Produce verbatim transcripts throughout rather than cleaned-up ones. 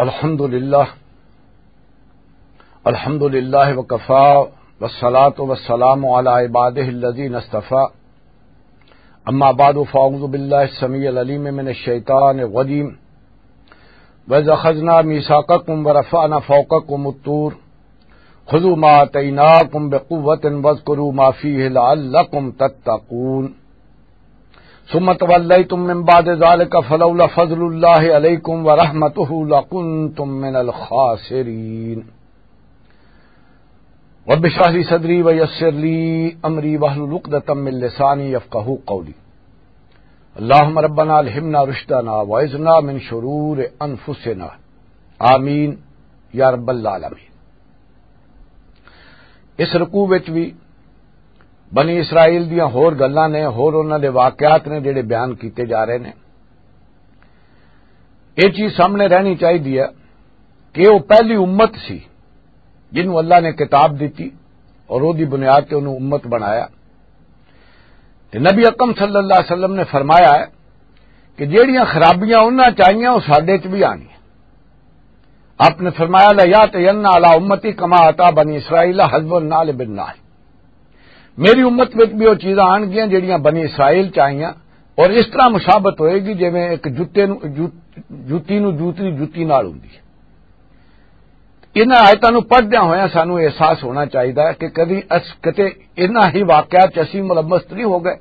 الحمد لله. الحمد لله وكفى، والصلاة والسلام على عباده الذين اصطفى. أما بعد، فأعوذ بالله السميع العليم من الشيطان الرجيم. وإذ أخذنا ميثاقكم ورفعنا فوقكم الطور خذوا ما آتيناكم بقوة واذكروا ما فيه لعلكم تتقون. ثم توليتم من بعد ذلك فلولا فضل الله عليكم ورحمته لكنتم من الخاسرين. رب اشرح لي صدري ويسر لي أمري واحلل عقدة من لساني يفقهوا قولي. اللهم ربنا ألهمنا رشدنا وأعذنا من شرور أنفسنا. آمين يا رب العالمين. اس رکوع وچ بھی بنی اسرائیل دیاں ہور گلاں نے، ہور انہاں دے واقعات نے جڑے بیان کیتے جا رہے نے۔ یہ چیز سامنے رہنی چاہیے کہ وہ پہلی امت سی جنہوں اللہ نے کتاب دتی اور وہ دی بنیاد تے انہوں امت بنایا۔ تے نبی اکرم صلی اللہ علیہ وسلم نے فرمایا ہے کہ جہڑیاں خرابیاں انہاں چ آئیاں، وہ ساڈے چ بھی آنیاں۔ آپ نے فرمایا، "لا یاتین علی امتی کما اتا بنی اسرائیل حزب النعل بالنعل۔" میری امت وچ بھی وہ چیزاں آن گیاں جڑیاں بنی اسرائیل چ آئیاں، اور اس طرح مشابت ہوئے گی جویں ایک جوتے نو، جو-، جوتی نو دوسری جوتی نال ہوندی ہے۔ انہاں آیتاں نوں پڑھدیاں ہویاں سانوں احساس ہونا چاہیدا ہے کہ کدی اس، کتے انہاں ہی واقعات چ اسی ملوث نہیں ہو گئے،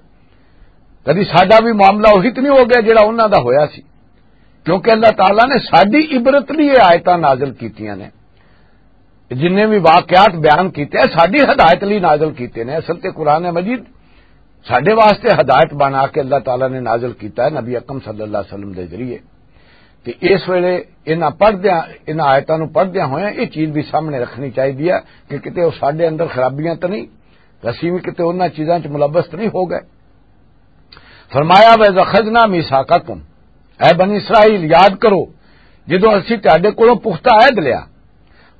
کدی ساڈا بھی معاملہ وہی تے نہیں ہو گیا جڑا انہاں دا ہویا سی، کیونکہ اللہ تعالیٰ نے ساڈی عبرت لئی یہ آیتاں نازل کیتیاں نے۔ جنہیں بھی واقعات بیان کیتے ہیں، ساڈی ہدایت لئی نازل کیتے نے۔ اصل تے قرآن مجید ساڈے واسطے ہدایت بنا کے اللہ تعالیٰ نے نازل کیتا ہے نبی اکرم صلی اللہ علیہ وسلم دے ذریعے۔ تے اس ویلے انہاں پڑھدیاں، انہاں آیتاں نوں پڑھدیاں ہویاں یہ چیز بھی سامنے رکھنی چاہیدی ہے کہ کتے وہ ساڈے اندر خرابیاں تو نہیں، اسی بھی کتے انہاں چیزاں چ ملوث تو نہیں ہو گئے۔ فرمایا، "وَإِذْ أَخَذْنَا مِيثَاقَكُمْ"، اے بنی اسرائیل، یاد کرو جدوں اسی تہاڈے کولوں پختہ عہد لیا،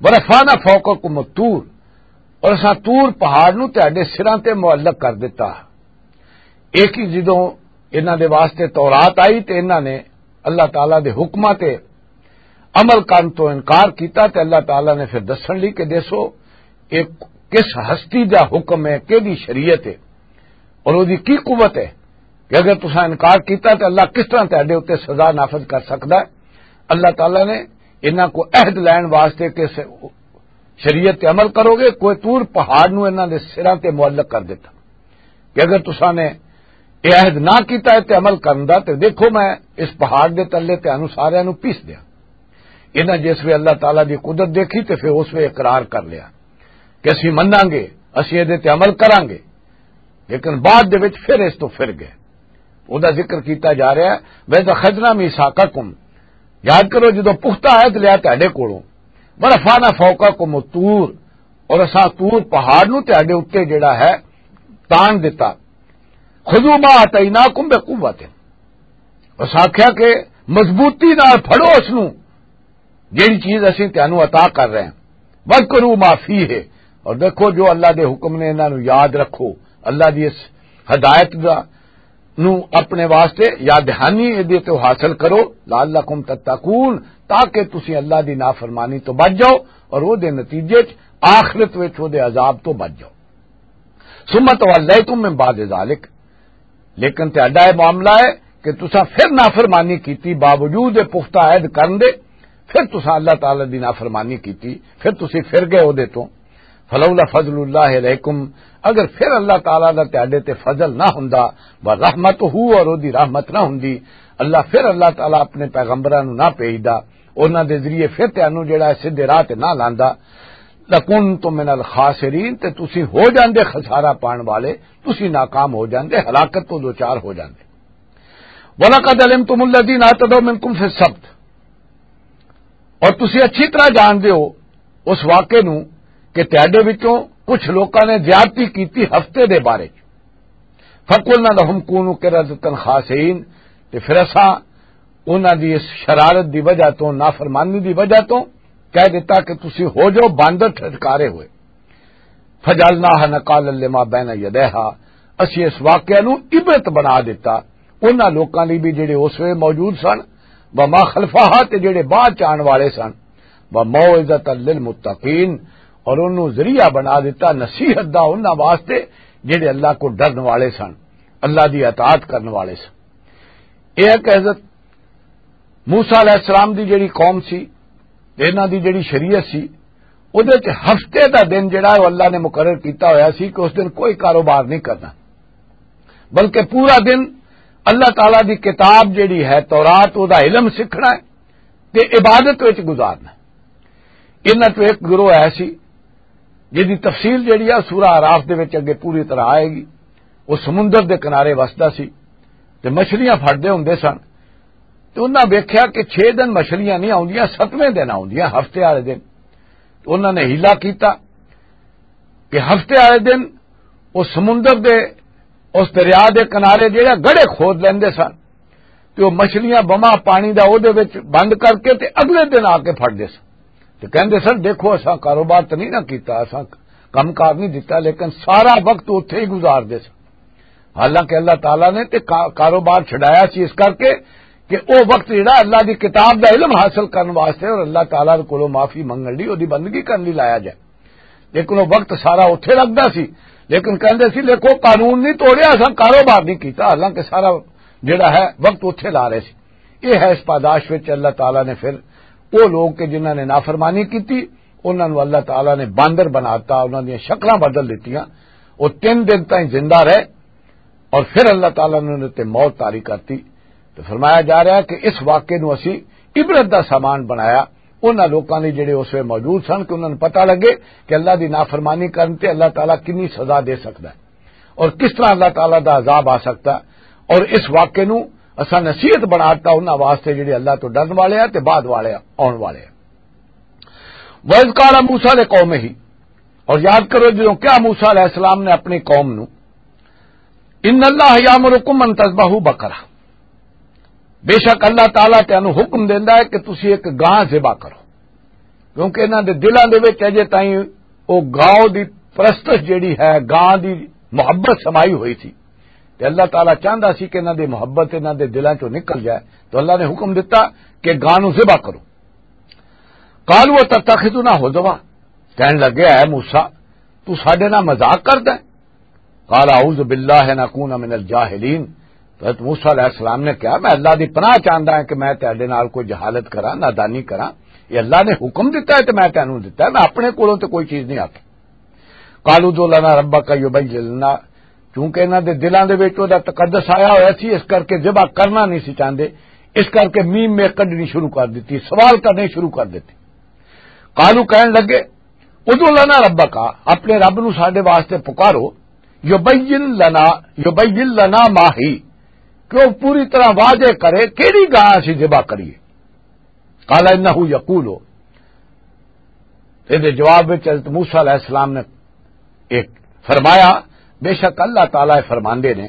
"وَرَفَعْنَا فَوْقَكُمُ الطُّورَ"، اور اساں طور پہاڑ نوں تہاڈے سراں تے معلق کر دتا۔ ایک ہی جدوں انہاں دے واسطے تورات آئی تے انہاں نے اللہ تعالیٰ دے حکماں تے عمل کرن تو انکار کیتا تے اللہ تعالیٰ نے پھر دسن لئی کہ دیسو، ایک کس ہستی دا حکم ہے، کیڑی شریعت ہے اور او دی کی قوت ہے کہ اگر تساں انکار کیتا تے اللہ کس طرح تہاڈے اُتے سزا نافذ کر سکدا ہے؟ اللہ تعالیٰ نے انہاں کو عہد لین واسطے کہ س-، شریعت تے عمل کرو گے، کوئی طور پہاڑ نو انہاں دے سراں تے معلق کر دتا کہ اگر تساں نے یہ عہد نہ کیتا ہے تے عمل کرن دا، تے دیکھو میں اس پہاڑ دے تلے تانوں ساریاں نوں پیس دیاں۔ انہاں جس وے اللہ تعالیٰ دی قدرت دیکھی تے پھر اس وے اقرار کر لیا کہ اسی مناں گے، اسی اے دے تے عمل کراں گے، لیکن بعد دے وچ پھر اس تو پھر گئے۔ او دا ذکر کیتا جا رہا ہے، "وَإِذْ أَخَذْنَا مِيثَاقَكُمْ"، یاد کرو جدوں پختہ عہد لیا تہاڈے کولوں، "وَرَفَعْنَا فَوْقَكُمُ الطُّورَ"، اور اساں طور پہاڑ نوں تہاڈے اُتے جڑا ہے تان دتا، "خُذُوا مَا آتَيْنَاكُمْ بِقُوَّةٍ"، اس آکھیا کہ مضبوطی نال پھڑو اس نوں، جیڑی چیز اسی تانوں عطا کر رہے ہیں، "وَاذْكُرُوا مَا فِيهِ"، اور دیکھو جو اللہ دے حکم نے انہاں نوں یاد رکھو، اللہ دی اس ہدایت دا نوں اپنے واسطے یاد دہانی دے تو حاصل کرو، "لَعَلَّكُمْ تَتَّقُونَ"، تاکہ تسی اللہ دی نافرمانی تو بچ جاؤ اور وہ دے نتیجے چ آخرت وچ وہ دے عذاب تو بچ جاؤ۔ "ثُمَّ تَوَلَّيْتُمْ مِنْ بَعْدِ ذَلِكَ"، لیکن تہاڈا یہ معاملہ ہے کہ تساں پھر نافرمانی کیتی، باوجود یہ پختہ عہد کرن دے، پھر تساں اللہ تعالیٰ دی نافرمانی کیتی، پھر تسی پھر گئے او دے تو۔ "فلولا فضل اللہ علیکم"، اگر پھر اللہ تعالیٰ دا تہاڈے تے فضل نہ ہوندا، "ورحمتہ"، اور او دی رحمت نہ ہوندی، اللہ پھر اللہ تعالیٰ اپنے پیغمبراں نوں نہ بھیجدا، انہاں دے ذریعے پھر تانوں جڑا ہے سیدھے راہ تے نہ لاندا، "لَكُنْتُمْ مِنَ الْخَاسِرِينَ"، تے تسی ہو جاندے خسارہ پان والے، تسی ناکام ہو جاندے، ہلاکت تو دوچار ہو جاندے۔ "وَلَقَدْ عَلِمْتُمُ الَّذِينَ اعْتَدَوْا مِنْكُمْ فِي السَّبْتِ"، اور تسی اچھی طرح جاندے ہو اس واقعے نوں کہ تہاڈے وچوں کچھ لوکاں نے زیادتی کیتی ہفتے دے بارے چ۔ "فَقُلْنَا لَهُمْ كُونُوا قِرَدَةً خَاسِئِينَ"، تے پھر اساں انہاں دی اس شرارت دی وجہ تو، نافرمانی دی وجہ تو کہہ دیتا کہ تسی ہو جاؤ باندر ٹھٹکارے ہوئے۔ "فَجَعَلْنَاهَا نَكَالًا لِمَا بَيْنَ يَدَيْهَا"، اسی اس واقعہ نوں عبرت بنا دیتا انہاں لوکاں لئی بھی جڑے اس ویلے موجود سن، وما خلفہا، تے جڑے بعد چ آن والے سن، وموعظۃ للمتقین، اور انہوں ذریعہ بنا دیتا نصیحت دا انہاں واسطے جڑے اللہ کو ڈرن والے سن، اللہ دی اطاعت کرن والے سن۔ یہ ہے کہ حضرت موسیٰ علیہ السلام دی جڑی قوم سی تے انہاں دی جڑی شریعت سی، اودے تے ہفتے دا دن جڑا ہے، وہ اللہ نے مقرر کیتا ہویا سی کہ اس دن کوئی کاروبار نہیں کرنا، بلکہ پورا دن اللہ تعالیٰ دی کتاب جڑی ہے تورات، او دا علم سکھنا ہے تے عبادت وچ گزارنا ہے۔ انہاں چوں ایک گروہ ایسی جس دی تفصیل جڑی ہے سورہ اعراف دے وچ اگے پوری طرح آئے گی۔ وہ سمندر دے کنارے وسدا سی تے مچھلیاں پھڑدے ہوندے سن۔ تے انہاں ویکھیا کہ چھ دن مچھلیاں نہیں آوندیاں، ستویں دن آوندیاں، ہفتے والے دن۔ تے انہاں نے حیلہ کیتا کہ ہفتے والے دن وہ سمندر دے، اس دریا دے کنارے جڑے گڑھے کھود لیندے سن، تے وہ مچھلیاں بما پانی دا او دے وچ بند کر کے تے اگلے دن آ کے پھڑدے سن۔ تے کہندے سن، "دیکھو، اساں کاروبار تے نہیں نہ کیتا، اساں کم کار نہیں دتا، لیکن سارا وقت اوتھے ہی گزار دے سن۔" حالانکہ اللہ تعالیٰ نے تے کا-، کاروبار چھڈایا سی اس کر کے کہ او وقت جڑا اللہ دی کتاب دا علم حاصل کرن واسطے اور اللہ تعالیٰ دے کولوں معافی منگن لئی، اودی بندگی کرن لئی لایا جائے۔ لیکن وہ وقت سارا اوتھے لگدا سی، لیکن کہندے سی، "دیکھو، قانون نہیں توڑیا، اساں کاروبار نہیں کیتا۔" حالانکہ سارا جڑا ہے وقت اوتھے لا رہے سی۔ یہ ہے اس پاداش وچ اللہ تعالیٰ نے پھر وہ لوگ کہ جنہاں نے نافرمانی کیتی، انہاں نوں اللہ تعالیٰ نے باندر بناتا، انہاں دیاں شکلاں بدل دتیاں۔ وہ تین دن تائیں زندہ رہے اور پھر اللہ تعالیٰ نے انہاں تے موت طاری کرتی۔ تو فرمایا جا رہا ہے کہ اس واقعے نوں اسی عبرت دا سامان بنایا انہاں لوکاں لئی جڑے اس ویلے موجود سن، کہ انہاں نوں پتہ لگے کہ اللہ دی نافرمانی کرن تے اللہ تعالیٰ کنی سزا دے سکدا ہے اور کس طرح اللہ تعالیٰ دا عذاب آ سکدا ہے۔ اور اس واقعے نوں اساں نصیحت بنا دتا انہاں واسطے جڑے اللہ تو ڈرن والے ہیں تے بعد والے آن والے ہیں۔ وَإِذْ قَالَ مُوسَىٰ لِقَوْمِهِ، اور یاد کرو جدوں کیا موسیٰ علیہ السلام نے اپنی قوم نوں، "إِنَّ اللَّهَ يَأْمُرُكُمْ أَن تَذْبَحُوا بَقَرَةً"، بے شک اللہ تعالیٰ تینوں حکم دیندا ہے کہ تسی ایک گاں ذبح کرو، کیونکہ انہاں دے دلاں دے وچ اجے تائیں او گاؤ دی پرستش جڑی ہے، گاں دی محبت سمائی ہوئی تھی، تے اللہ تعالیٰ چاہندا سی کہ انہاں دی محبت انہاں دے دلاں چوں نکل جائے، تو اللہ نے حکم دتا کہ گاں نوں ذبح کرو۔ "قَالُوا أَتَتَّخِذُنَا هُزُوًا"، کہن لگے، "اے موسیٰ، تو ساڈے نال مذاق کردا ہے؟" "قَالَ أَعُوذُ بِاللَّهِ أَنْ أَكُونَ مِنَ الْجَاهِلِينَ"، تو حضرت موسیٰ علیہ السلام نے کہا، "میں اللہ دی پناہ چاہندا ہاں کہ میں تہاڈے نال کوئی جہالت کراں، نادانی کراں۔ یہ اللہ نے حکم دتا ہے تے میں تینوں دتا ہے، میں اپنے کولوں تے کوئی چیز نہیں آکھی۔" "قَالُوا ادْعُ لَنَا رَبَّكَ يُبَيِّن لَنَا"، چونکہ انہاں دے دلاں دے وچ او دا تقدس آیا ہویا سی، اس کر کے ذبح کرنا نہیں سی چاہندے، اس کر کے میم میں کڈنی شروع کر دتی، سوال کرنے شروع کر دتے۔ "قَالُوا"، کہن لگے، "ادْعُ لَنَا رَبَّكَ"، اپنے رب نو ساڈے واسطے پکارو، "يُبَيِّن لَنَا، يُبَيِّن لَنَا مَا هِيَ"، کہ وہ پوری طرح واضح کرے کیڑی گاں اسی ذبح کریے۔ "قَالَ إِنَّهُ يَقُولُ"، اس دے جواب وچ حضرت موسیٰ علیہ السلام نے ایک فرمایا، بے شک اللہ تعالیٰ فرماندے نے،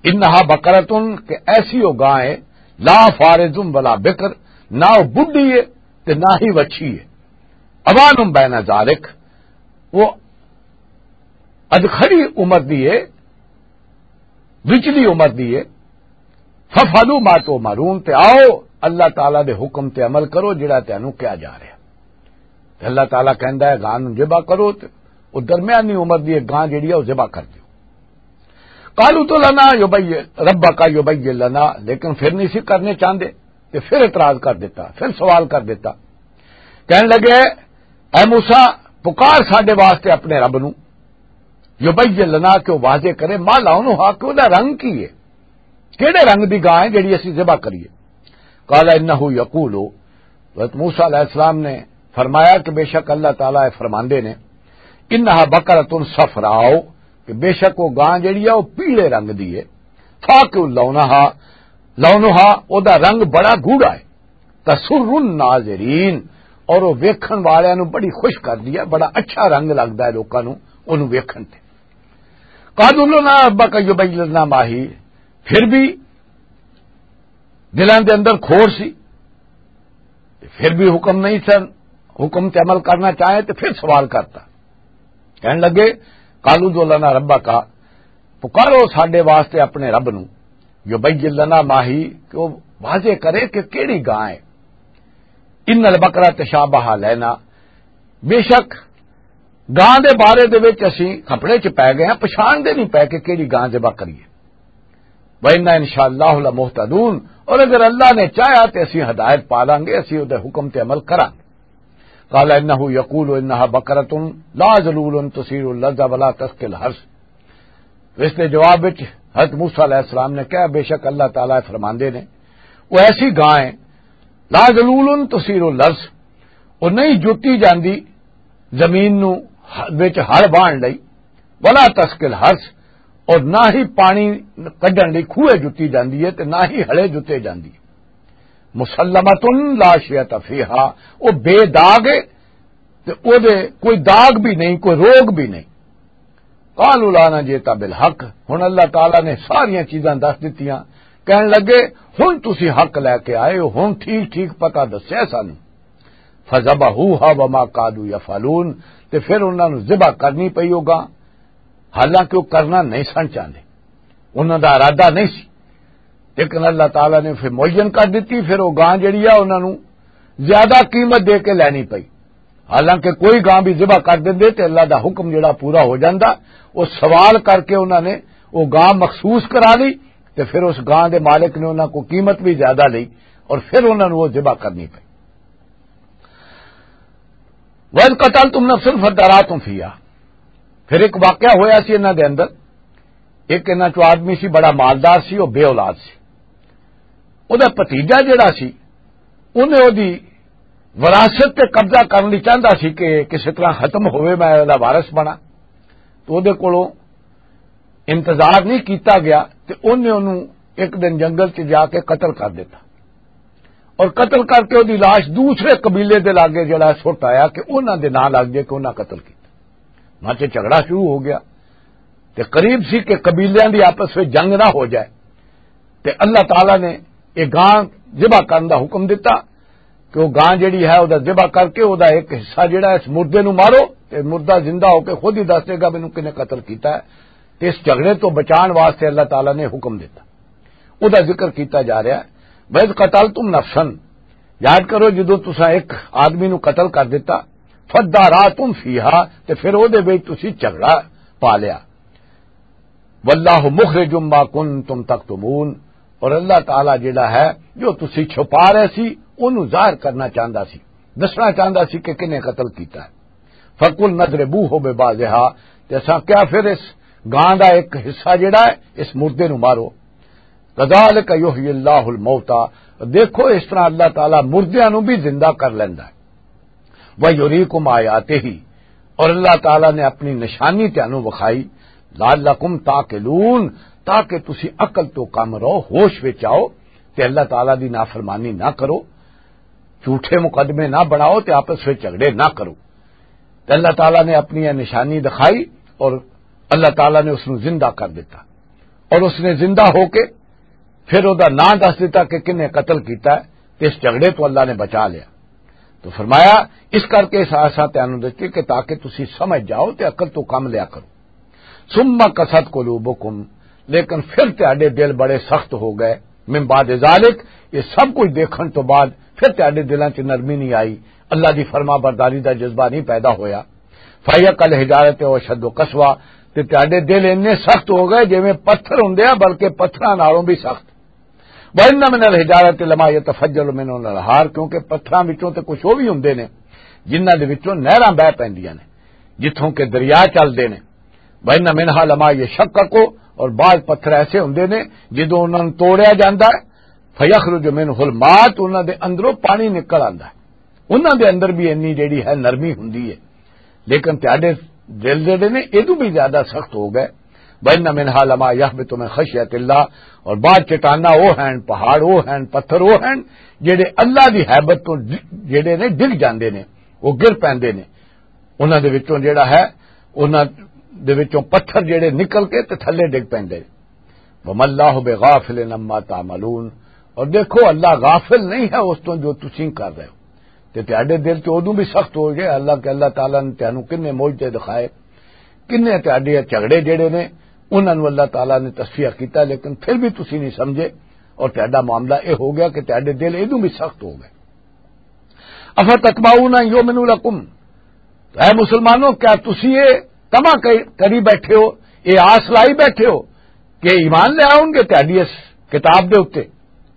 "إِنَّهَا بَقَرَةٌ"، کہ ایسی وہ گاں ہے، "لَا فَارِضٌ وَلَا بِكْرٌ"، نہ وہ بڈھی ہے تے نہ ہی وچھی ہے، "عَوَانٌ بَيْنَ ذَٰلِكَ"، وہ اج کھڑی عمر دی ہے، وچلی عمر دی ہے۔ "فَافْعَلُوا مَا تُؤْمَرُونَ"، تے آؤ اللہ تعالیٰ دے حکم تے عمل کرو جڑا تینوں کیا جا رہا۔ تے اللہ تعالیٰ کہندا ہے، "گاں نوں ذبح کرو"، تے او درمیانی عمر دی ایک گاں جڑی ہے، او ذبح کر دیو۔ "قَالُوا ادْعُ لَنَا يُبَيِّن، رَبَّكَ يُبَيِّن لَنَا"، لیکن پھر نہیں سی کرنے چاہندے، تے پھر اعتراض کر دیتا، پھر سوال کر دیتا۔ کہن لگے، "اے موسیٰ، پکار ساڈے واسطے اپنے رب نوں، يُبَيِّن لَنَا"، کہ وہ واضح کرے، "مَا لَوْنُهَا"، کہ وہ دا رنگ کی ہے، کیڑے رنگ دی گاں ہے جڑی اسی ذبح کریے؟ "قَالَ إِنَّهُ يَقُولُ"، حضرت موسیٰ علیہ السلام نے فرمایا کہ بے شک اللہ تعالیٰ فرماندے نے، "إِنَّهَا بَقَرَةٌ صَفْرَاءُ"، کہ بے شک وہ گاں جڑی ہے وہ پیلے رنگ دی ہے، "فَاقِعٌ لَوْنُهَا"، "لَوْنُهَا"، او دا رنگ بڑا گوڑا ہے، "تَسُرُّ النَّاظِرِينَ"، اور وہ ویکھن والیاں نوں بڑی خوش کر دی ہے، بڑا اچھا رنگ لگدا ہے لوکاں نوں اونوں ویکھن تے۔ "قَالُوا ادْعُ لَنَا رَبَّكَ يُبَيِّن لَنَا مَا هِيَ"، پھر بھی دلاں دے اندر کھوڑ سی، تے پھر بھی حکم نہیں سن، حکم تے عمل کرنا چاہے تے پھر سوال کرتا۔ کہن لگے، "قَالُوا ادْعُ لَنَا رَبَّكَ"، پکارو ساڈے واسطے اپنے رب نو، یبین لنا ما ہی، کہ وہ واضح کرے کہ کیڑی گاں ہے۔ ان البقرہ تشابہ علینا، بے شک گاں دے بارے دے وچ اسی کپڑے چ پے گئے ہیں، پچھان دے نہیں پے کہ کیڑی گاں ذبح کریے۔ وَإِنَّا إِنْ شَاءَ اللَّهُ لَمُهْتَدُونَ، اور اگر اللہ نے چاہیا تے اسی ہدایت پا لانگے، اسی او دے حکم تے عمل کرانگے۔ قال انه يقول انها بقرة لا ذلول تثير الارض ولا تسقي الحرث۔ تو اس دے جواب وچ حضرت موسیٰ علیہ السلام نے کہا، بے شک اللہ تعالیٰ فرماندے نے، وہ ایسی گاں ہے، لا ذلول تثير الارض، وہ نہیں جتی جاندی زمین نو وچ ہل واہن لئی، ولا تسقي الحرث، اور نہ ہی پانی کڈن لئی کھوئے جتی جاندی ہے تے نہ ہی ہلے جتے جاندی ہے۔ مسلمۃ لا شیۃ فیہا، وہ بے داغ ہے تے او دے کوئی داغ بھی نہیں، کوئی روگ بھی نہیں۔ قالوا لانا جیتا بالحق، ہن اللہ تعالیٰ نے ساریاں چیزاں دس دتیاں، کہن لگے، ہن تسی حق لے کے آئے ہو، ہن ٹھیک ٹھیک پتہ دسیا سانو۔ فذبحوها وما كادوا يفعلون، تے پھر انہاں نوں ذبح کرنی پئی او گاں، حالانکہ وہ کرنا نہیں سن چاہندے، انہاں دا ارادہ نہیں سی۔ لیکن اللہ تعالیٰ نے پھر معین کر دتی، پھر وہ گاں جڑی آ انہاں نوں زیادہ قیمت دے کے لینی پئی۔ حالانکہ کوئی گاں بھی ذبح کر دیندے تے اللہ دا حکم جڑا پورا ہو جاندا۔ وہ سوال کر کے انہاں نے وہ گاں مخصوص کرا لی، تے پھر اس گاں دے مالک نے انہاں کو قیمت بھی زیادہ لئی اور پھر انہاں نوں وہ ذبح کرنی پئی۔ وَإِذْ قَتَلْتُمْ نَفْسًا فَادَّارَأْتُمْ فِيهَا۔ پھر ایک واقعہ ہویا سی انہاں دے اندر، ایک انہاں چوں آدمی سی، بڑا مالدار سی، وہ بے اولاد سی۔ وہ دا بھتیجا جڑا سی، انہیں وہ دی وراثت تے قبضہ کرن لئی چاہندا سی کہ کسے طرح ختم ہوئے، میں وہ دا وارث بنا۔ تو وہ دے کولوں انتظار نہیں کیتا گیا تے انہیں انہوں ایک دن جنگل چ جا کے قتل کر دیتا۔ اور قتل کر کے وہ دی لاش دوسرے قبیلے دے لاگے جڑا سٹ آیا کہ انہاں دے نام لگ جائے کہ انہاں قتل کیتا۔ وہاں تے جھگڑا شروع ہو گیا تے قریب سی کہ قبیلیاں دی آپس وچ جنگ نہ ہو جائے۔ تے اللہ تعالیٰ نے یہ گاں ذبح کرن دا حکم دتا کہ وہ گاں جڑی ہے، وہ دا ذبح کر کے وہ دا ایک حصہ جڑا ہے، اس مردے نو مارو، تے مردہ زندہ ہو کے خود ہی دس دے گا مینوں کنے قتل کیتا ہے۔ تے اس جھگڑے تو بچان واسطے اللہ تعالیٰ نے حکم دتا۔ وہ دا ذکر کیتا جا رہا ہے، وَإِذْ قَتَلْتُمْ نَفْسًا، یاد کرو جدوں تساں ایک آدمی نو قتل کر دتا، فَادَّارَأْتُمْ فِيهَا، تے پھر وہ دے وچ تسی جھگڑا پا لیا۔ وَاللَّهُ مُخْرِجٌ مَا كُنْتُمْ تَكْتُمُونَ، اور اللہ تعالیٰ جڑا ہے، جو تسی چھپا رہے سی، انہوں ظاہر کرنا چاہندا سی، دسنا چاہندا سی کہ کنے قتل کیتا ہے۔ فَقُلْنَا اضْرِبُوهُ بِبَعْضِهَا، تے اساں کیا پھر اس گاں دا ایک حصہ جڑا ہے، اس مردے نو مارو۔ كَذَلِكَ يُحْيِي اللَّهُ الْمَوْتَى، دیکھو اس طرح اللہ تعالیٰ مردیاں نو بھی زندہ کر لیندا ہے۔ وَيُرِيكُمْ آيَاتِهِ، اور اللہ تعالیٰ نے اپنی نشانی تانوں وکھائی، لَعَلَّكُمْ تَعْقِلُونَ، تاکہ تسی عقل تو کم رہو، ہوش وچ آؤ، تے اللہ تعالیٰ دی نافرمانی نہ کرو، جھوٹے مقدمے نہ بناؤ تے آپس وچ جھگڑے نہ کرو۔ تے اللہ تعالیٰ نے اپنی یہ نشانی دکھائی اور اللہ تعالیٰ نے اس نو زندہ کر دیتا، اور اس نے زندہ ہو کے پھر او دا ناں دس دیتا کہ کنے قتل کیتا ہے، تے اس جھگڑے تو اللہ نے بچا لیا۔ تو فرمایا، اس کر کے اس آسا تینوں دتی کہ تاکہ تسی سمجھ جاؤ تے عقل تو کم لیا کرو۔ ثم قست قلوبکم، لیکن پھر تہاڈے دل بڑے سخت ہو گئے، من بعد ذالک، یہ سب کچھ دیکھن تو بعد پھر تہاڈے دلاں چ نرمی نہیں آئی، اللہ دی فرما برداری دا جذبہ نہیں پیدا ہویا۔ فہی کل حجارت و اشد قسوہ، تے تہاڈے دل اتنے سخت ہو گئے جویں پتھر ہوندے آ، بلکہ پتھراں نالوں بھی سخت۔ وَإِنَّ مِنَ الْحِجَارَةِ لَمَا يَتَفَجَّرُ مِنْهُ الْأَنْهَارُ، کیونکہ پتھراں وچوں تے کچھ او وی ہوندے نے جنہاں دے وچوں نہراں بہہ پیندیاں نے، جتھوں کہ دریا چلدے نے۔ وَإِنَّ مِنْهَا لَمَا يَشَقَّقُ، اور بعض پتھر ایسے ہوندے نے جدوں انہاں نوں توڑیا جاندا ہے، فَيَخْرُجُ مِنْهُ الْمَاءُ، انہاں دے اندروں پانی نکل آندا ہے۔ انہاں دے اندر بھی انی جیڑی ہے نرمی ہوندی ہے، لیکن تہاڈے دل جیڑے نے ادوں بھی زیادہ سخت ہو گئے۔ وَإِنَّ مِنْهَا لَمَا يَهْبِطُ مِنْ خَشْيَةِ اللَّهِ، اور بعض چٹاناں او ہن، پہاڑ او ہن، پتھر او ہن، جیڑے اللہ دی ہیبت تو ڈ-، جیڑے نے ڈگ جاندے نے، وہ گر پیندے نے۔ انہاں دے وچوں جیڑا ہے، انہاں دے وچوں پتھر جیڑے نکل کے تے تھلے ڈگ پیندے۔ وَمَا اللَّهُ بِغَافِلٍ عَمَّا تَعْمَلُونَ، اور دیکھو اللہ غافل نہیں ہے اس تو جو تسی کر رہے ہو۔ تے تہاڈے دل تے ادوں بھی سخت ہو گئے، اللہ کہ اللہ تعالیٰ نے تانوں کنے معجزے دکھائے، کنے تہاڈے جھگڑے جڑے نے انہاں نوں اللہ تعالیٰ نے تصفیہ کیتا، لیکن پھر بھی تسی نہیں سمجھے، اور تہاڈا معاملہ یہ ہو گیا کہ تہاڈے دل ادوں بھی سخت ہو گئے۔ افتطمعون ان یؤمنوا لکم، تو اے مسلمانوں، کیا تسی یہ طمع کر-، کری بیٹھے ہو، یہ آس لائی بیٹھے ہو کہ ایمان لے آؤ گے تہاڈی اس کتاب دے اُتے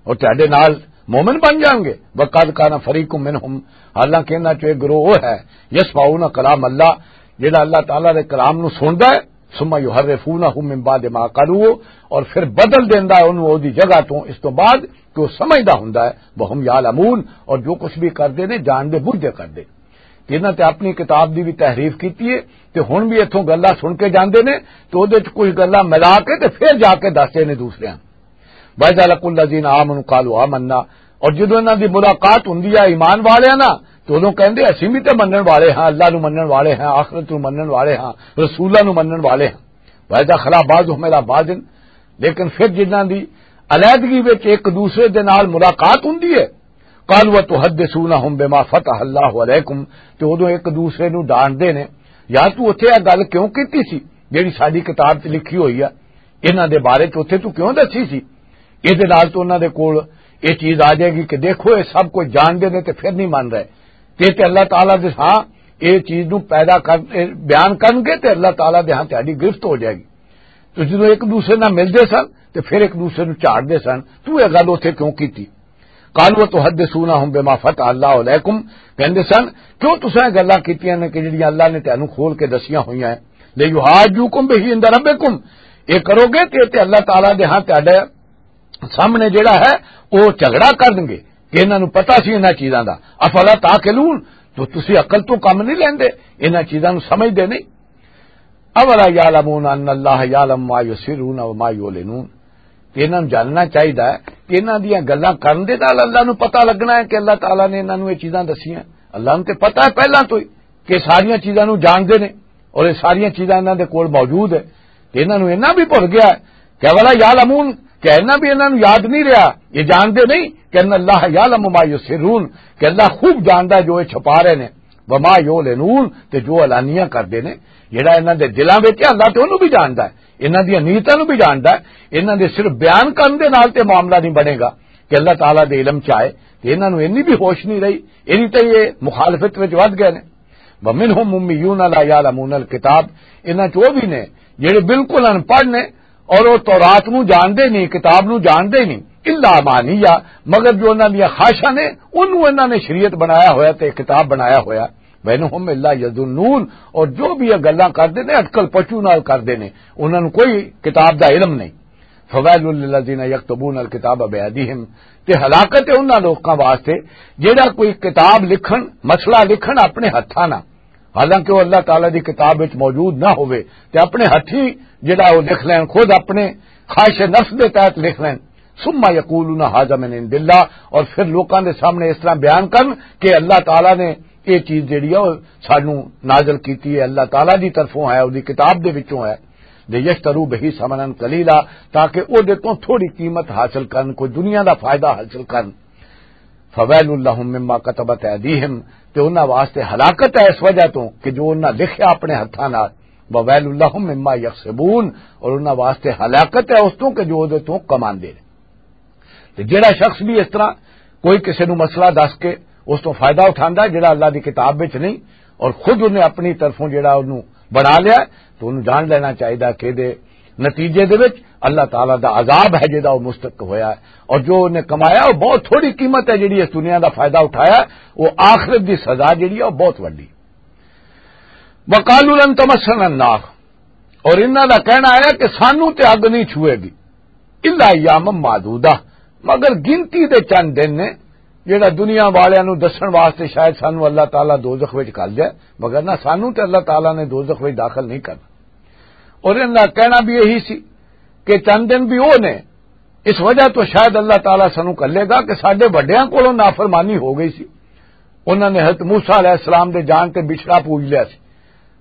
اور تہاڈے نال مومن بن جان گے؟ وقد کان فریق منہم، حالانکہ انہاں چوں ایک گروہ وہ ہے، یسمعون کلام اللہ، جڑا اللہ تعالیٰ دے کلام نو سندا ہے، ثم یحرفونہ من بعد ما قالوہ، اور پھر بدل دیندا ہے انہوں دی جگہ تو، اس تو بعد کہ وہ سمجھدا ہوندا ہے، وہم یعلمون، اور جو کچھ بھی کردے نے جان دے بوجھ دے کردے۔ کہ انہاں تے اپنی کتاب دی بھی تحریف کیتی ہے، تے ہن بھی اتھوں گلاں سن کے جاندے نے، تے اودے وچ کچھ گلاں ملا کے تے پھر جا کے دسدے نے دوسریاں۔ وَإِذَا لَقُوا الَّذِينَ آمَنُوا قَالُوا آمَنَّا، اور جدوں انہاں دی ملاقات ہوندی ہے ایمان والیاں نال، تے اودوں کہندے، "اسیں بھی تے منن والے ہاں، اللہ نوں منن والے ہاں، آخرت نوں منن والے ہاں، رسولاں نوں منن والے ہاں۔" وَإِذَا خَلَا بَعْضُهُمْ إِلَىٰ بَعْضٍ، لیکن پھر جنہاں دی علیحدگی وچ ایک دوسرے دے نال ملاقات ہوندی ہے، قالوا تحدثونہم بما فتح اللہ علیکم، تے اودوں ایک دوسرے نوں ڈانٹدے نے، "یار، تو اتھے یہ گل کیوں کیتی سی جیڑی ساڈی کتاب 'چ لکھی ہوئی ہے؟ انہاں دے بارے 'چ اتھے تو کیوں دسی سی؟" اس دے نال تو انہاں دے کول یہ چیز آ جائے گی کہ دیکھو، یہ سب کچھ جانتے نے تے پھر نہیں من رہے۔ تے تے اللہ تعالیٰ دے ہاں یہ چیز نوں پیدا کر، یہ بیان کرن گے تے اللہ تعالیٰ دے ہاں تہاڈی گرفت ہو جائے گی۔ تو جدوں ایک دوسرے نال ملدے سن تے پھر ایک دوسرے نوں جھاڑدے سن، "تو یہ گل اتھے کیوں کیتی؟" قالوا تحدثونہم بما فتح اللہ علیکم، کہندے سن، "کیوں تساں یہ گلاں کیتیاں نے کہ جڑیاں اللہ نے تانوں کھول کے دسیاں ہوئیاں ہیں؟ لیحاجوکم بہ عند ربکم، یہ کرو گے تے، تے اللہ تعالیٰ دے ہاں تہاڈے سامنے جڑا ہے، وہ جھگڑا کرن گے کہ انہاں نوں پتہ سی انہاں چیزاں دا۔ افلا تعقلون، تو تسی عقل تو کم نہیں لیندے، انہاں چیزاں نوں سمجھدے نہیں؟ اولا یعلمون ان اللہ یعلم ما یسرون و ما یعلنون۔" کہ انہاں نوں جاننا چاہیدا ہے کہ انہاں دیاں گلاں کرن دے نال اللہ نوں پتہ لگنا ہے کہ اللہ تعالیٰ نے انہاں نوں یہ چیزاں دسیاں۔ اللہ نوں تے پتہ ہے پہلاں تو ہی کہ ساریاں چیزاں نوں جاندے نے اور یہ ساریاں چیزاں انہاں دے کول موجود ہے۔ تے انہاں نوں انہاں بھی بھول گیا ہے کہ اولا یعلمون، کہ انہاں بھی انہاں نوں یاد نہیں رہیا، یہ جاندے نہیں کہ ان اللہ یعلم ما یسرون، کہ اللہ خوب جاندا ہے جو یہ چھپا رہے نے، وما یعلنون، تے جو اعلانیہ کردے نے، جڑا انہاں دے دلاں وچ ہے، اللہ تے انہوں بھی جاندا ہے، انہاں دیاں نیتاں نوں بھی جاندا ہے۔ انہاں دے صرف بیان کرن دے نال تے معاملہ نہیں بنے گا کہ اللہ تعالیٰ دے علم چ آئے، تے انہاں نوں انی بھی ہوش نہیں رہی، انی تے یہ مخالفت وچ ود گئے نے۔ وَمِنْهُمْ أُمِّيُّونَ لَا يَعْلَمُونَ الْكِتَابَ، انہاں چ وہ بھی نے جڑے بالکل ان پڑھ نے اور وہ تورات نو جاندے نہیں، کتاب نو جاندے نہیں، الا امانیہ، مگر جو انہاں دیاں خواہشاں نے، انہوں انہاں نے شریعت بنایا ہویا تے کتاب بنایا ہویا۔ وَإِنْ هُمْ إِلَّا يَظُنُّونَ، اور جو بھی یہ گلاں کردے نے، اٹکل پچو نال کردے نے، انہاں نوں کوئی کتاب دا علم نہیں۔ فَوَيْلٌ لِلَّذِينَ يَكْتُبُونَ الْكِتَابَ بِأَيْدِيهِمْ، تے ہلاکت ہے انہاں لوکاں واسطے جڑا کوئی کتاب لکھن، مسئلہ لکھن اپنے ہتھاں نال، حالانکہ وہ اللہ تعالیٰ دی کتاب وچ موجود نہ ہوئے، تے اپنے ہتھی جڑا وہ لکھ لین، خود اپنے خواہش نفس دے تحت لکھ لین۔ ثم یقولون ھذا من عند اللہ، اور پھر لوکاں دے سامنے اس طرح بیان کرن کہ اللہ تعالیٰ نے یہ چیز جڑی ہے، وہ سانو نازل کیتی ہے، اللہ تعالیٰ دی طرفوں ہے، اودی کتاب دے وچوں ہے۔ لیشتروا بہ ثمنا قلیلا، تاکہ او دے تو تھوڑی قیمت حاصل کرن، کوئی دنیا دا فائدہ حاصل کرن۔ فویل لہم مما کتبت ایدیہم، تے انہاں واسطے ہلاکت ہے اس وجہ تو کہ جو انہاں لکھیا اپنے ہتھاں نال۔ وویل لہم مما یکسبون، اور انہاں واسطے ہلاکت ہے اس تو کہ جو دے تو کماندے نے۔ تے جڑا شخص بھی اس طرح کوئی کسے نو مسئلہ دس کے اس تو فائدہ اٹھاندا ہے جڑا اللہ دی کتاب وچ نہیں، اور خود انہیں اپنی طرفوں جڑا انہوں بنا لیا ہے، تو انہوں جان لینا چاہیدا کہ دے نتیجے دے وچ اللہ تعالیٰ دا عذاب ہے جڑا وہ مستحق ہویا ہے، اور جو انہیں کمایا وہ بہت تھوڑی قیمت ہے جڑی اس دنیا دا فائدہ اٹھایا ہے، وہ آخرت دی سزا جڑی ہے وہ بہت وڈی۔ وقالوا لن تمسنا النار، اور انہاں دا کہنا ہے کہ سانو تے اگ نہیں چھوئے گی، الا ایام معدودہ، مگر گنتی دے چند دن نے، جڑا دنیا والیاں نو دسن واسطے شاید سانو اللہ تعالیٰ دوزخ وچ گھل جائے، مگر نہ، سانو تے اللہ تعالیٰ نے دوزخ وچ داخل نہیں کرنا۔ اور انہاں دا کہنا بھی یہی سی کہ چند دن بھی وہ نے، اس وجہ تو شاید اللہ تعالیٰ سانو گھلے گا کہ ساڈے وڈیاں کولوں نافرمانی ہو گئی سی، انہاں نے حضرت موسیٰ علیہ السلام دے جان تے بچھڑا پوج لیا سی،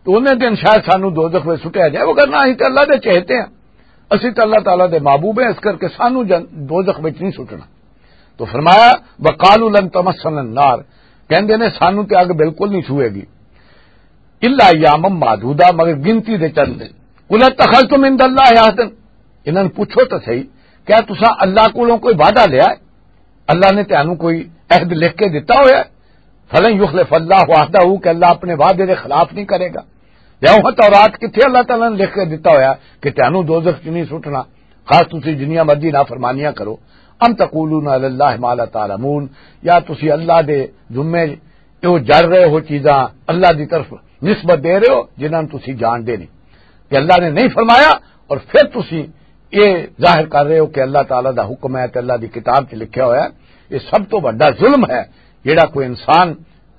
تو انہیں دن شاید سانو دوزخ وچ سٹیا جائے، وگرنہ اسی تے اللہ دے چہتے ہیں، اسی تے اللہ تعالیٰ دے محبوب ہیں، اس کر کے سانو جن-، دوزخ وچ نہیں سٹنا۔ تو فرمایا، وقالوا لن تمسنا النار، کہندے نے سانو تے اگ بالکل نہیں چھوئے گی، الا ایام معدودہ، مگر گنتی دے چند دن۔ قل اتخذتم عند اللہ عہدا، انہاں نوں پوچھو تو صحیح، کیا تساں اللہ کولوں کوئی وعدہ لیا ہے؟ اللہ نے تانوں کوئی عہد لکھ کے دتا ہویا ہے؟ فلن یخلف اللہ عہدہ، کہ اللہ اپنے وعدے دے خلاف نہیں کرے گا۔ یا وہ تورات کتھے اللہ تعالیٰ نے لکھ کے دتا ہویا کہ تانوں دوزخ چ نہیں سٹنا، خاص تسی جنیاں مرضی نافرمانیاں کرو۔ ام تقولون علی اللہ ما لا تعلمون، یا تسی اللہ دے ذمے جو جڑ رہے ہو چیزاں، اللہ دی طرف نسبت دے رہے ہو جنہاں نوں تسی جانتے نہیں، کہ اللہ نے نہیں فرمایا، اور پھر تسی یہ ظاہر کر رہے ہو کہ اللہ تعالیٰ دا حکم ہے تے اللہ دی کتاب 'چ لکھیا ہویا ہے۔ یہ سب تو بڑا ظلم ہے جڑا کوئی انسان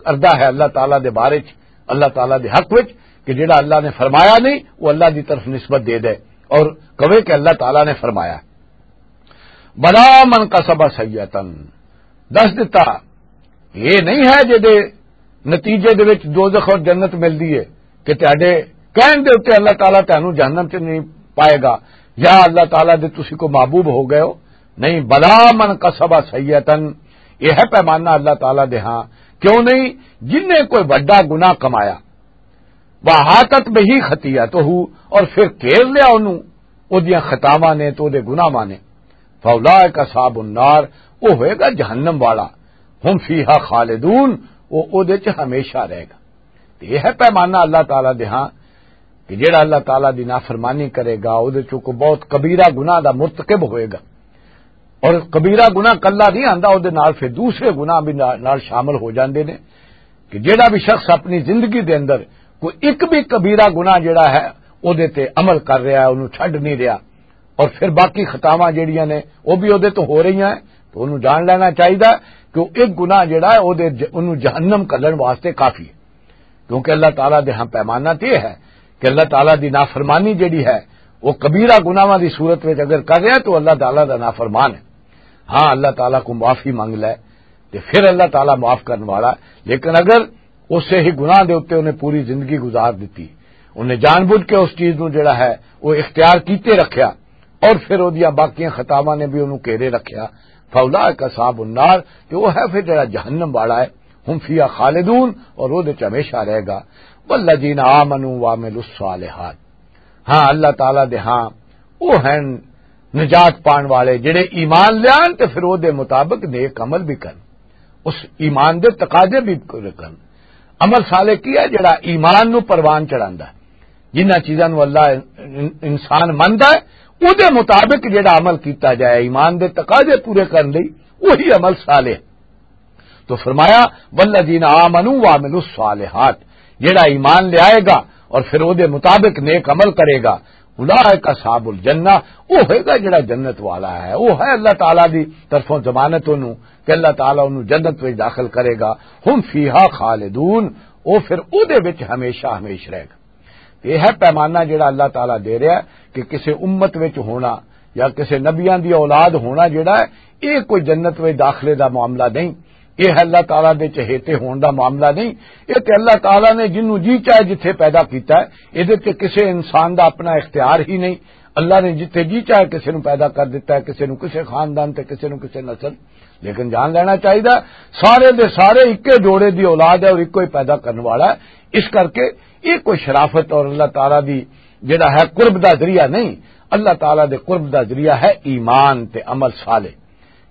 کردا ہے اللہ تعالیٰ دے بارے 'چ، اللہ تعالیٰ دے حق وچ، کہ جڑا اللہ نے فرمایا نہیں، وہ اللہ دی طرف نسبت دے دے اور کہے کہ اللہ تعالیٰ نے فرمایا۔ بلا من کسب سیئتا، دس دتا، یہ نہیں ہے جدے نتیجے دے وچ دوزخ اور جنت ملدی ہے کہ تہاڈے کہن دے اُتے اللہ تعالیٰ تہانوں جہنم چ نہیں پائے گا، یا اللہ تعالیٰ دے تسی کو محبوب ہو گئے ہو۔ نہیں، بلا من کسب سیئتا، یہ ہے پیمانہ اللہ تعالیٰ دے ہاں۔ کیوں نہیں؟ جن نے کوئی وڈا گناہ کمایا، وَأَحَاطَتْ بِهِ خَطِيئَتُهُ، اور پھر گھیر لیا اونوں اودیاں خطاواں نے تے اودے گناہاں نے، فَأُولَٰئِكَ أَصْحَابُ النَّارِ، وہ ہوئے گا جہنم والا، هُمْ فِيهَا خَالِدُونَ، وہ اودے چ ہمیشہ رہے گا۔ تے یہ ہے پیمانہ اللہ تعالیٰ دے ہاں کہ جڑا اللہ تعالیٰ دی نافرمانی کرے گا، اودے چوں کوئی بہت کبیرہ گناہ دا مرتکب ہوئے گا۔ اور کبیرہ گناہ کلا نہیں آندا، اودے نال پھر دوسرے گناہ بھی نال، نال شامل ہو جاندے نے، کہ جڑا بھی شخص اپنی زندگی دے اندر کوئی ایک بھی کبیرہ گناہ جڑا ہے، اودے تے عمل کر رہا ہے، اونوں چھڈ نہیں رہا، اور پھر باقی خطاواں جڑیاں نے، وہ بھی اودے تو ہو رہی ہیں، تو اونوں جان لینا چاہیے کہ وہ ایک گناہ جڑا ہے، اودے ج-، اونوں جہنم کلن واسطے کافی ہے۔ کیونکہ اللہ تعالیٰ دے ہاں پیمانہ تے یہ ہے کہ اللہ تعالیٰ دی نافرمانی جڑی ہے، وہ کبیرہ گناہاں دی صورت وچ اگر کر رہا ہے تو اللہ تعالیٰ دا نافرمان ہے۔ ہاں، اللہ تعالیٰ کو معافی منگ لے تے پھر اللہ تعالیٰ معاف کرن والا ہے۔ لیکن اگر اسے ہی گناہ دے اُتے انہیں پوری زندگی گزار دتی، انہیں جان بوجھ کے اس چیز نو جڑا ہے وہ اختیار کیتے رکھیا، اور پھر اودیاں باقیاں خطاواں نے بھی انہوں گھیرے رکھیا، فَأُولَٰئِكَ أَصْحَابُ النَّارِ، کہ وہ ہے پھر جڑا جہنم والا ہے، هُمْ فِيهَا خَالِدُونَ، اور اودے چ ہمیشہ رہے گا۔ وَالَّذِينَ آمَنُوا وَعَمِلُوا الصَّالِحَاتِ، ہاں، اللہ تعالیٰ دے ہاں وہ ہیں نجات پان والے جڑے ایمان لیان تے پھر اودے مطابق نیک عمل بھی کرن، اس ایمان دے تقاضے بھی پورے کرن۔ عمل صالح کی ہے؟ جڑا ایمان نو پروان چڑھاندا ہے۔ جنہاں چیزاں نو اللہ ان-، انسان مندا ہے، اودے مطابق جڑا عمل کیتا جائے، ایمان دے تقاضے پورے کرن لئی، وہی عمل صالح۔ تو فرمایا، "والذین آمنوا وعملوا الصالحات"، جڑا ایمان لے آئے گا اور پھر اودے مطابق نیک عمل کرے گا، "اولئک اصحاب الجنہ"، وہ ہوئے گا جڑا جنت والا ہے، وہ ہے اللہ تعالیٰ دی طرفوں ضمانت انہوں کہ اللہ تعالیٰ انہوں جنت وچ داخل کرے گا۔ "ہم فیہا خالدون"، وہ پھر اودے وچ ہمیشہ ہمیش رہے گا۔ یہ ہے پیمانہ جڑا اللہ تعالیٰ دے رہا ہے کہ کسے امت وچ ہونا یا کسے نبیاں دی اولاد ہونا جڑا ہے، یہ کوئی جنت وچ داخلے دا معاملہ نہیں۔ یہ ہے اللہ تعالیٰ دے چہیتے ہون دا معاملہ نہیں۔ یہ تے اللہ تعالیٰ نے جنوں جی چاہے جتھے پیدا کیتا ہے، یہ دے تے کسے انسان دا اپنا اختیار ہی نہیں۔ اللہ نے جتھے جی چاہے کسے نوں پیدا کر دیتا ہے، کسے نوں کسے خاندان تے کسے نوں کسے نسل۔ لیکن جان لینا چاہیے، سارے دے سارے اکے جوڑے دی اولاد ہے اور اکو ہی پیدا کرنے والا ہے۔ اس کر کے یہ کوئی شرافت اور اللہ تعالیٰ دی جڑا ہے قرب دا ذریعہ نہیں۔ اللہ تعالیٰ دے قرب دا ذریعہ ہے ایمان تے عمل صالح۔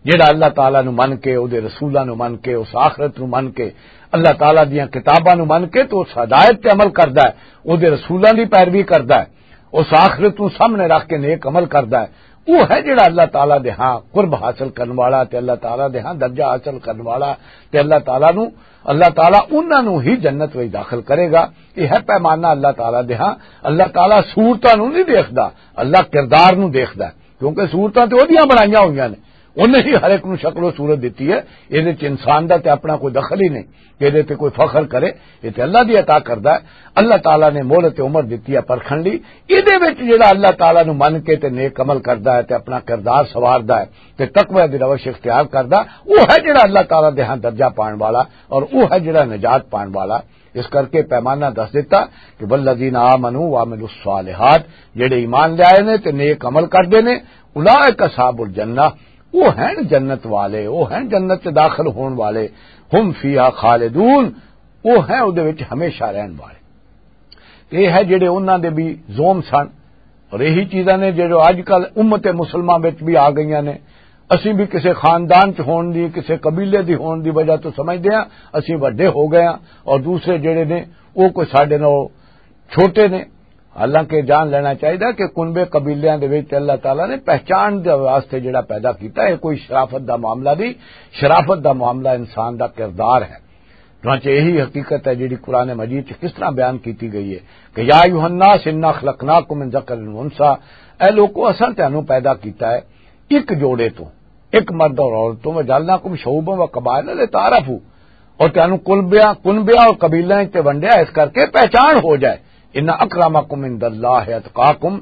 جڑا اللہ تعالیٰ نو من کے، او دے رسولاں نو من کے، اس آخرت نو من کے، اللہ تعالیٰ دیاں کتاباں نو من کے تو اس ہدایت تے عمل کردا ہے، او دے رسولاں دی پیروی کردا ہے، اس آخرت نو سامنے رکھ کے نیک عمل کردا ہے، وہ ہے جڑا اللہ تعالیٰ دے ہاں قرب حاصل کرن والا تے اللہ تعالیٰ دے ہاں درجہ حاصل کرن والا۔ تے اللہ تعالیٰ نو، اللہ تعالیٰ انہاں نو ہی جنت وچ داخل کرے گا۔ یہ ہے پیمانہ اللہ تعالیٰ دے ہاں۔ اللہ تعالیٰ صورتاں نو نہیں دیکھدا، اللہ کردار نو دیکھدا ہے، کیونکہ صورتاں تے اودیاں بنائیاں ہوئیاں نے، انہیں ہی ہر ایک نو شکل و صورت دتی ہے۔ یہ انسان دا تے اپنا کوئی دخل ہی نہیں کہ یہ تے کوئی فخر کرے، یہ تے اللہ دی عطا کردا ہے۔ اللہ تعالیٰ نے مہلت عمر دتی ہے پرکھن لئی۔ یہ دے وچ جڑا اللہ تعالیٰ نو من کے تے نیک عمل کردا ہے تے اپنا کردار سواردا ہے تے تقوی دی روش اختیار کردا، وہ ہے جڑا اللہ تعالیٰ دے ہاں درجہ پان والا اور وہ ہے جڑا نجات پان والا۔ اس کر کے پیمانہ دس دیتا کہ والذین آمنوا وعملوا الصالحات، جڑے ایمان لے آئے نے تے نیک عمل کردے نے، اولئک اصحاب الجنہ، وہ ہیں جنت والے، وہ ہیں جنت چ داخل ہون والے، ہم فیہا خالدون، وہ ہیں اودے وچ ہمیشہ رہن والے۔ یہ ہے جڑے انہاں دے بھی زوم سن، اور یہی چیزاں نے جو اج کل امت مسلمہ وچ بھی آ گئیاں نے۔ اسی بھی کسی خاندان چ ہون دی، کسی قبیلے دی ہون دی وجہ تو سمجھدے ہاں اسی وڈے ہو گئے ہاں، اور دوسرے جڑے نے وہ کوئی ساڈے نال چھوٹے نے۔ حالانکہ جان لینا چاہیدا کہ کنبے قبیلیاں دے وچ اللہ تعالیٰ نے پہچان دے واسطے جڑا پیدا کیتا ہے، کوئی شرافت دا معاملہ نہیں۔ شرافت دا معاملہ انسان دا کردار ہے۔ چنانچہ یہی حقیقت ہے جڑی قرآن مجید چ کس طرح بیان کیتی گئی ہے کہ یا ایھا الناس انا خلقناکم من ذکر و انثی، اے لوکو، اساں تانوں پیدا کیتا ہے ایک جوڑے تو، ایک مرد اور عورت تو، وجعلناکم شعوبا و قبائل لتعارفوا، اور تانوں کنبیاں، کنبیاں اور قبیلیاں تے ونڈیا اس کر کے پہچان ہو جائے۔ ان اکرمکم عند اللہ اتقاکم،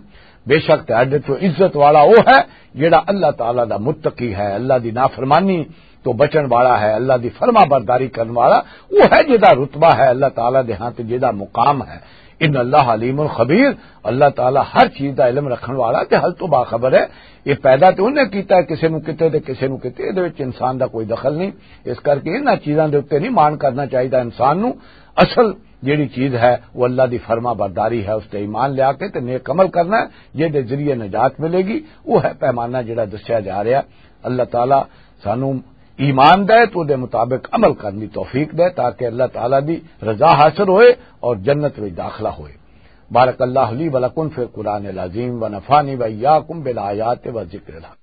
بے شک تہاڈے تو عزت والا وہ ہے جڑا اللہ تعالیٰ دا متقی ہے، اللہ دی نافرمانی تو بچن والا ہے، اللہ دی فرما برداری کرن والا وہ ہے جدا رتبہ ہے اللہ تعالیٰ دے ہاں تے جدا مقام ہے۔ ان اللہ علیم خبیر، اللہ تعالیٰ ہر چیز دا علم رکھن والا تے ہر تو باخبر ہے۔ یہ پیدا تے انہیں کیتا ہے، کسے نو کتے تے کسے نو کتے، اے دے وچ انسان دا کوئی دخل نہیں۔ اس کر کے انہاں چیزاں دے اوتے نہیں مان کرنا چاہیدا انسان نو۔ اصل جیڑی چیز ہے وہ اللہ دی فرما برداری ہے، اس تے ایمان لیا کے تے نیک عمل کرنا ہے، جے دے ذریعے نجات ملے گی۔ وہ ہے پیمانہ جڑا دسیا جا رہا ہے۔ اللہ تعالیٰ سانو ایمان دے تو دے مطابق عمل کرنے دی توفیق دے، تاکہ اللہ تعالیٰ دی رضا حاصل ہوئے اور جنت وچ داخلہ ہوئے۔ بارک اللہ لی ولکم فی القرآن العظیم و نفعنی و ایاکم بالآیات و ذکر الحکیم۔